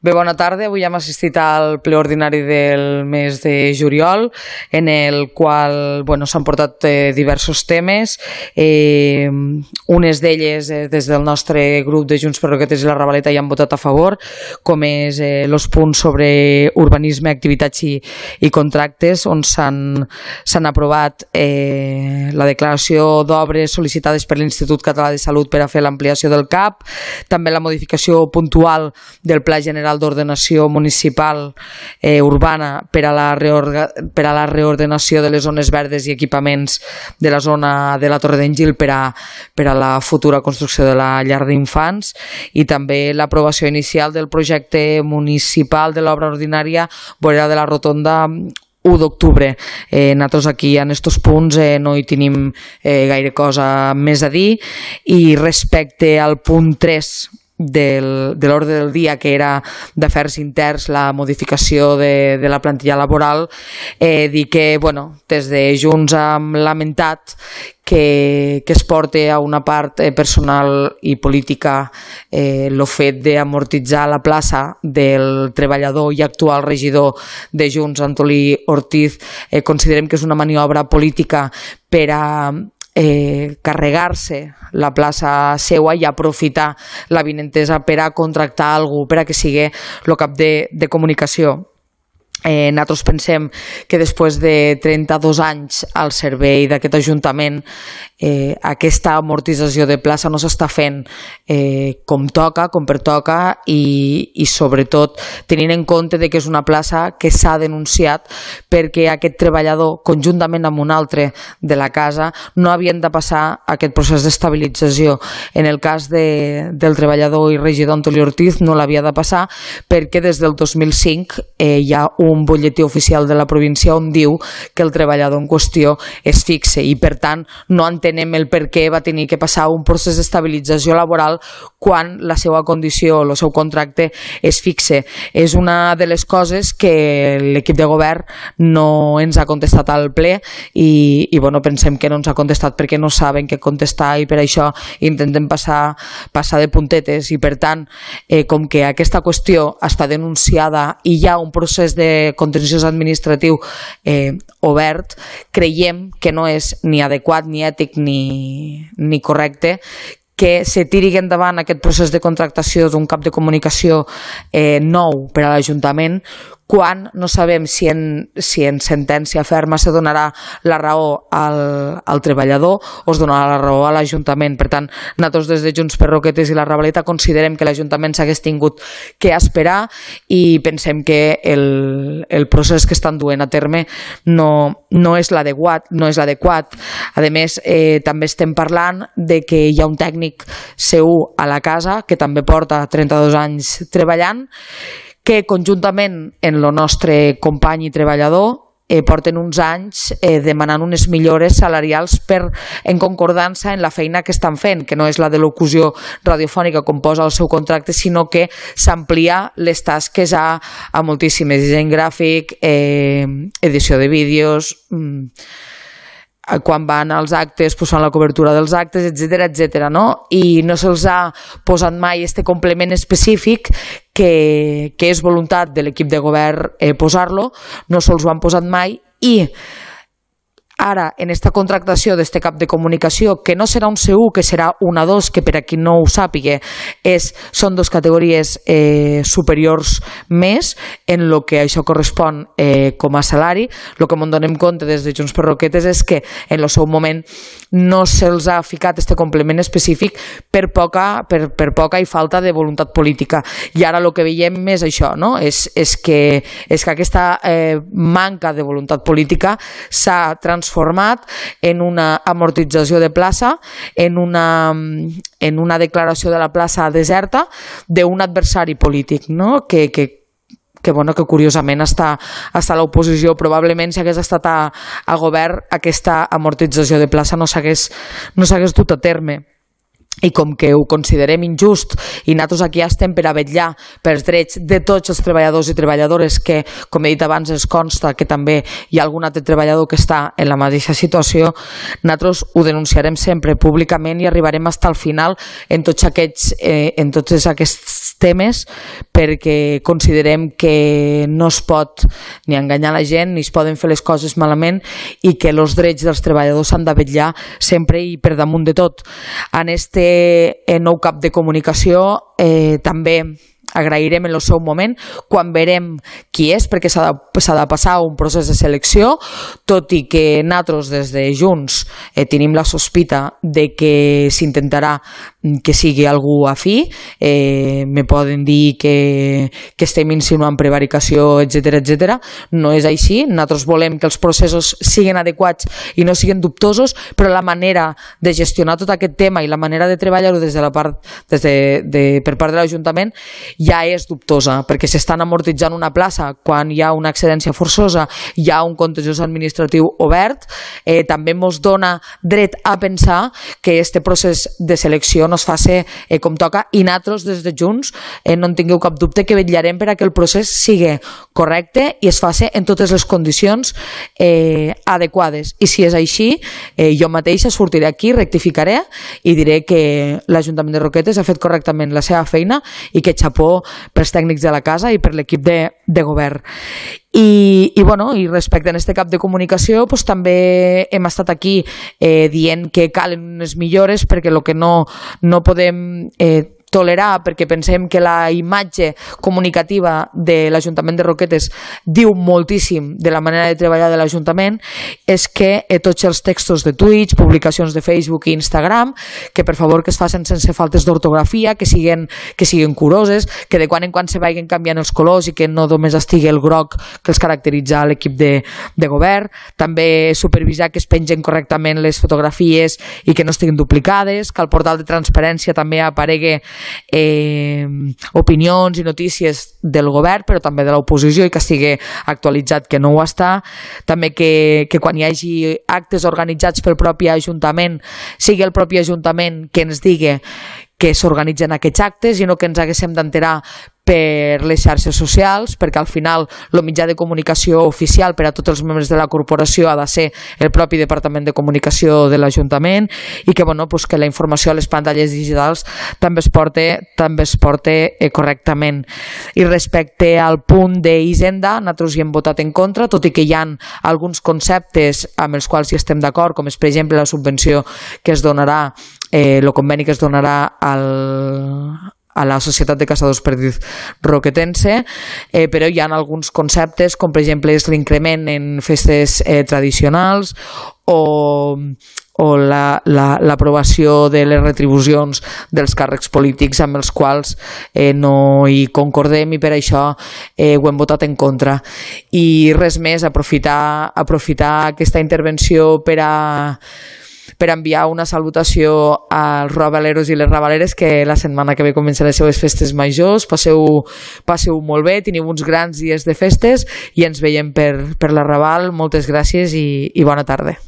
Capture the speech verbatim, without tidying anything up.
Bé, bona tarda. Avui hem assistit al ple ordinari del mes de juliol, en el qual bueno, s'han portat eh, diversos temes. Eh, unes d'elles, eh, des del nostre grup de Junts per Roquetes i la Ravaleta, hi han votat a favor, com és eh, els punts sobre urbanisme, activitats i, i contractes, on s'han aprovat eh, la declaració d'obres sol·licitades per l'Institut Català de Salut per a fer l'ampliació del C A P, també la modificació puntual del Pla General d'Ordenació Municipal eh, Urbana per a, la per a la reordenació de les zones verdes i equipaments de la zona de la Torre d'en Gil per a, per a la futura construcció de la llar d'infants, i també l'aprovació inicial del projecte municipal de l'obra ordinària vorera de la Rotonda u d'octubre. Eh, nosaltres aquí en aquests punts eh, no hi tenim eh, gaire cosa més a dir, i respecte al punt tres Del, de l'ordre del dia, que era d'afers interns, la modificació de, de la plantilla laboral, eh, dir que bueno, des de Junts hem lamentat que, que es porti a una part eh, personal i política eh, el fet d'amortitzar la plaça del treballador i actual regidor de Junts, Antolí Ortiz. Eh, considerem que és una maniobra política per a Eh, carregar-se la plaça seua i aprofitar la vinentesa per a contractar algú per a que sigui el cap de, de comunicació. Eh, nosaltres pensem que després de trenta-dos anys al servei d'aquest Ajuntament, eh, aquesta amortització de plaça no s'està fent eh, com toca, com pertoca, i, i sobretot tenint en compte de que és una plaça que s'ha denunciat perquè aquest treballador, conjuntament amb un altre de la casa, no havien de passar aquest procés d'estabilització. En el cas de, del treballador i regidor Antolí Ortiz no l'havia de passar perquè des del dos mil cinc eh, hi ha un un butlletí oficial de la província on diu que el treballador en qüestió és fixe, i per tant no entenem el per què va tenir que passar un procés d'estabilització laboral quan la seva condició, el seu contracte és fixe. És una de les coses que l'equip de govern no ens ha contestat al ple, i, i bueno, pensem que no ens ha contestat perquè no saben què contestar, i per això intentem passar, passar de puntetes, i per tant eh, com que aquesta qüestió està denunciada i hi ha un procés de contenciós administratiu eh, obert, creiem que no és ni adequat, ni ètic, ni, ni correcte que se tiri endavant aquest procés de contractació d'un cap de comunicació eh, nou per a l'Ajuntament, quan no sabem si en, si en sentència ferma se donarà la raó al, al treballador o es donarà la raó a l'Ajuntament. Per tant, nosaltres des de Junts per Roquetes i la Ravaleta considerem que l'Ajuntament s'hagués tingut que esperar, i pensem que el, el procés que estan duent a terme no, no és l'adequat. No és l'adequat. A més, eh, també estem parlant de que hi ha un tècnic C u a la casa que també porta trenta-dos anys treballant, que conjuntament en el nostre company i treballador eh, porten uns anys eh, demanant unes millores salarials per, en concordança en la feina que estan fent, que no és la de locució radiofònica com posa el seu contracte, sinó que s'amplia les tasques a, a moltíssimes, disseny gràfic, eh, edició de vídeos, mm, quan van als actes posant la cobertura dels actes, etcètera, etcètera, no? I no se'ls ha posat mai este complement específic que, que és voluntat de l'equip de govern eh, posar-lo, no se'ls ho han posat mai, i ara, en esta contractació d'este cap de comunicació, que no serà un C u, que serà un A dos, que per a qui no ho sàpiga, és, són dos categories eh, superiors més en el que això correspon eh, com a salari. El que ens donem compte des de Junts per Roquetes és que en el seu moment no se'ls ha ficat este complement específic per poca, per, per poca i falta de voluntat política. I ara el que veiem és això, no? és, és, que, és que aquesta eh, manca de voluntat política s'ha transformat format en una amortització de plaça, en una, en una declaració de la plaça deserta d'un adversari polític, no? que, que, que, bueno, que curiosament està, està a l'oposició. Probablement si hagués estat a, a govern aquesta amortització de plaça no s'hagués no s'hagués dut a terme. i com que ho considerem injust i nosaltres aquí estem per a vetllar pels drets de tots els treballadors i treballadores que, com he dit abans, es consta que també hi ha algun altre treballador que està en la mateixa situació, nosaltres ho denunciarem sempre públicament i arribarem fins al final en tots aquests, eh, en tots aquests temes, perquè considerem que no es pot ni enganyar la gent ni es poden fer les coses malament i que els drets dels treballadors s'han de vetllar sempre i per damunt de tot. En este nou cap de comunicació eh, també agrairem en el seu moment quan verem qui és, perquè s'ha de, s'ha de passar un procés de selecció, tot i que nosaltres des de Junts eh, tenim la sospita de que s'intentarà que sigui algú afí, eh, me poden dir que, que estem insinuant prevaricació, etcètera, etcètera. No és així, nosaltres volem que els processos siguin adequats i no siguin dubtosos, però la manera de gestionar tot aquest tema i la manera de treballar-ho des de la part, des de, de, per part de l'Ajuntament ja és dubtosa, perquè s'estan amortitzant una plaça quan hi ha una excedència forçosa, hi ha un contenciós administratiu obert, eh, també ens dona dret a pensar que este procés de selecció no es faci eh, com toca, i nosaltres des de Junts eh, no en tingueu cap dubte que vetllarem per a que el procés sigui correcte i es faci en totes les condicions eh, adequades, i si és així eh, jo mateixa sortiré aquí, rectificaré i diré que l'Ajuntament de Roquetes ha fet correctament la seva feina i que xapó pels tècnics de la casa i per l'equip de, de govern. I, i, bueno, i respecte a aquest cap de comunicació pues, també hem estat aquí eh, dient que calen unes millores perquè el que no, no podem eh, tolerar, perquè pensem que la imatge comunicativa de l'Ajuntament de Roquetes diu moltíssim de la manera de treballar de l'Ajuntament, és que eh, tots els textos de Twitch, publicacions de Facebook i Instagram, que per favor que es facin sense faltes d'ortografia, que siguin, que siguin curoses, que de quan en quan se vagin canviant els colors i que no només estigui el groc que els caracteritza l'equip de, de govern, també supervisar que es pengen correctament les fotografies i que no estiguin duplicades, que al portal de transparència també aparegui Eh, opinions i notícies del govern, però també de l'oposició, i que estigui actualitzat, que no ho està. També que, que quan hi hagi actes organitzats pel propi Ajuntament sigui el propi Ajuntament que ens digui que s'organitzen aquests actes i no que ens haguéssim d'enterar per les xarxes socials, perquè al final el mitjà de comunicació oficial per a tots els membres de la corporació ha de ser el propi Departament de Comunicació de l'Ajuntament, i que, bueno, pues que la informació a les pantalles digitals també es porte, també es porte eh, correctament. I respecte al punt d'Hisenda, nosaltres hi hem votat en contra, tot i que hi ha alguns conceptes amb els quals hi estem d'acord, com és, per exemple, la subvenció que es donarà, eh, el conveni que es donarà al a la Societat de Caçadors Perdits Roquetense, eh, però hi ha alguns conceptes, com per exemple és l'increment en festes eh, tradicionals o, o l'aprovació la, la, de les retribucions dels càrrecs polítics amb els quals eh, no hi concordem, i per això eh, ho hem votat en contra. I res més, aprofitar, aprofitar aquesta intervenció per a per enviar una salutació als rabaleros i les rabaleres, que la setmana que ve comencen les seves festes majors. Passeu, passeu molt bé, teniu uns grans dies de festes i ens veiem per, per la Raval. Moltes gràcies i, i bona tarda.